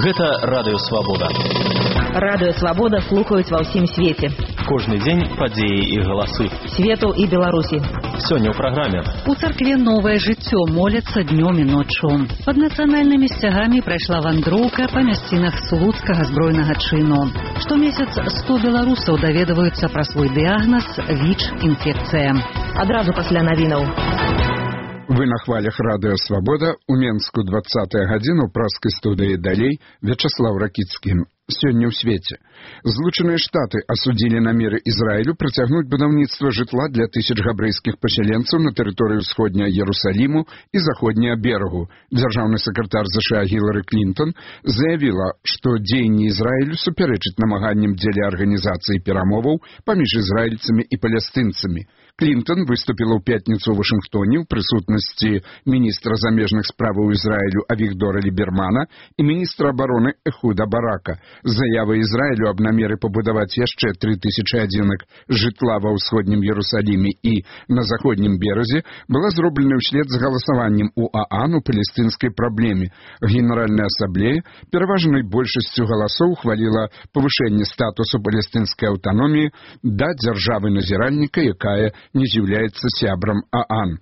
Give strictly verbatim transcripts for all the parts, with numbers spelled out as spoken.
Гэта Радыё Свабода. Радыё Свабода слухаюць ва ўсім свеце. Кожны дзень падзеі і галасы. Свету і Беларусі. Сёння ў праграме. У царкве новае жыццё моляцца днём і ноччу. Пад нацыянальнымі сцягамі прайшла вандроўка па мясцінах слуцкага збройнага чыну. Штомесяц сто беларусаў даведваюцца пра свой дыягназ ВІЧ-інфекцыя. Адразу пасля навінаў. Вы на хвалях Радыё Свабода, у Менску двадцатая гадзіна, у праскай студыі далей Вячаслав Ракіцкі. Сёння ў свеце. Злучаныя Штаты асудзілі намеры Ізраілю працягнуць будаўніцтва жытла для тысяч габрэйскіх пасяленцаў на тэрыторыі ўсходняга Ерусаліму і заходняга берагу. Дзяржаўны сакратар ЗША Гілары Клінтон заявіла, што дзеянні Ізраілю супярэчаць намаганням дзеля арганізацыі перамоваў паміж ізраільцамі і палестынцамі. Клінтон выступіла ў пятніцу ў Вашынгтоне ў прысутнасці міністра замежных справаў Ізраілю Авігдора Лібермана і міністра абароны Эхуда Барака. Заява Ізраілю аб намеры пабудаваць яшчэ тры тысячы адзінак жытла ва ўсходнім Ерусаліме і на заходнім беразе была зроблена ўслед з галасаваннем у ААН у палестынскай праблеме. Генеральная асамблея пераважнай большасцю галасоў ухваліла павышэнне статусу палестынскай аўтаноміі да дзяржавы-назіральніка, якая не з'яўляецца сябрам ААН.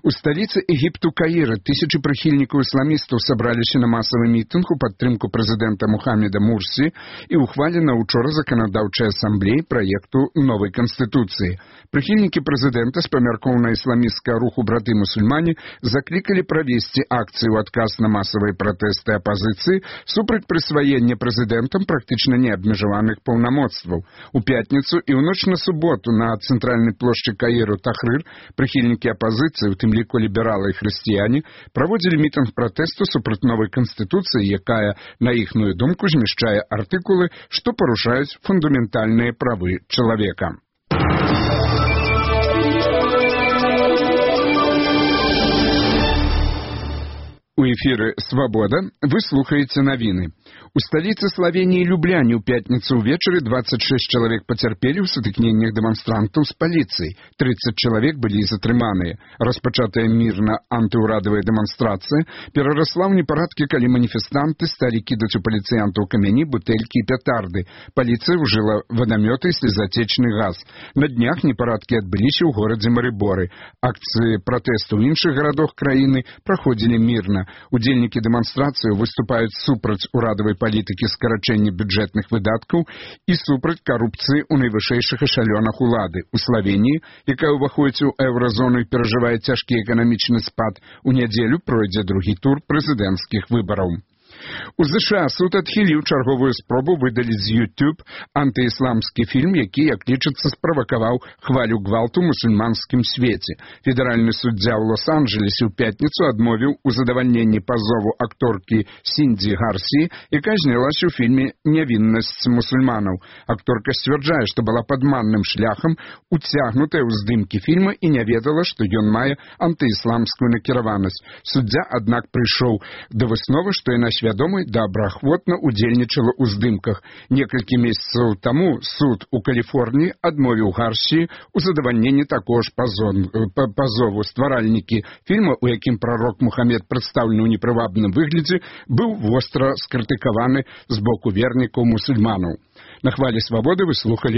У сталіцы Егіпту Каіра тысячы прыхільнікаў ісламістаў сабраліся на масавы мітынг у падтрымку прэзідэнта Мухаммеда Мурсі і ухвалена учора заканадаўчай асамблеі праекту новай канстытуцыі. Прыхільнікі прэзідэнта з памяркоў на ісламісцкага руху браты-мусульмане заклікалі правесці акцыю ў адказ на масавыя пратэсты апазіцыі супраць прысваення прэзідэнтам практычна неабмежаваных паўнамоцтваў. У пятніцу і ў ноч на суботу на цэнтральнай плошчы Каіру Тахрыр прыхільнікі апазіцыі, у тым ліку лібералы і хрысціяне, праводзілі мітынг пратэсту супраць новай канстытуцыі, якая, на іхную думку, змяшчае артыкулы, што парушаюць фундаментальныя правы чалавека. У эфіры «Свабода» вы слухаеце навіны. У сталіцы Славеніі Любляне ў пятніцу ўвечары дваццаць шэсць чалавек пацярпелі ў сутыкненнях дэманстрантаў з паліцыяй. трыццаць чалавек былі затрыманыя. Распачатая мірна антыўрадавая дэманстрацыя перарасла ў непарадкі, калі маніфестанты сталі кідаць у паліцыянтаў камяні, бутэлькі і пятарды. Паліцыя ўжыла вадамёты і слезатечны газ. На днях непарадкі адбыліся ў горадзе Марыборы. Акцыі пратэсту ў іншых гарадах краіны праходзілі мірна. Удзельнікі дэманстрацыі выступаюць супраць урадавай палітыкі скарачэння бюджэтных выдаткаў і супраць карупцыі ў найвышэйшых эшалёнах улады. У Славеніі, якая ўваходзіць у еўразону і перажывае цяжкі эканамічны спад, у нядзелю пройдзе другі тур прэзідэнцкіх выбараў. У ЗША суд адхіліў чарговую спробу выдаліць з YouTube антыісламскі фільм, які, як лічыцца, справакаваў хвалю гвалту ў мусульманскім свеце. Федэральны суддзя ў Лос-Анджелесе ў пятніцу адмовіў у задавальненні пазову акторкі Сіндзі Гарсі, якая знялася ў фільме «Нявіннасць мусульманаў». Акторка сцвярджае, што была падманным шляхам уцягнутая ў здымкі фільма і не ведала, што ён мае антыісламскую накіраванасць. Суддзя, аднак, прыйшоў да высновы, што яна свядома і добраахвотна удзельнічала ў здымках. Некалькі месяцаў таму суд у Каліфорніі адмовіў Гарсі у задавальненні такого ж пазову. Стваральнікі фільма, у якім прарок Мухаммед прадстаўлены ў непрывабным выглядзе, быў востра скрытыкаваны з боку вернікаў мусульманаў. На хвалі Свабоды вы слухалі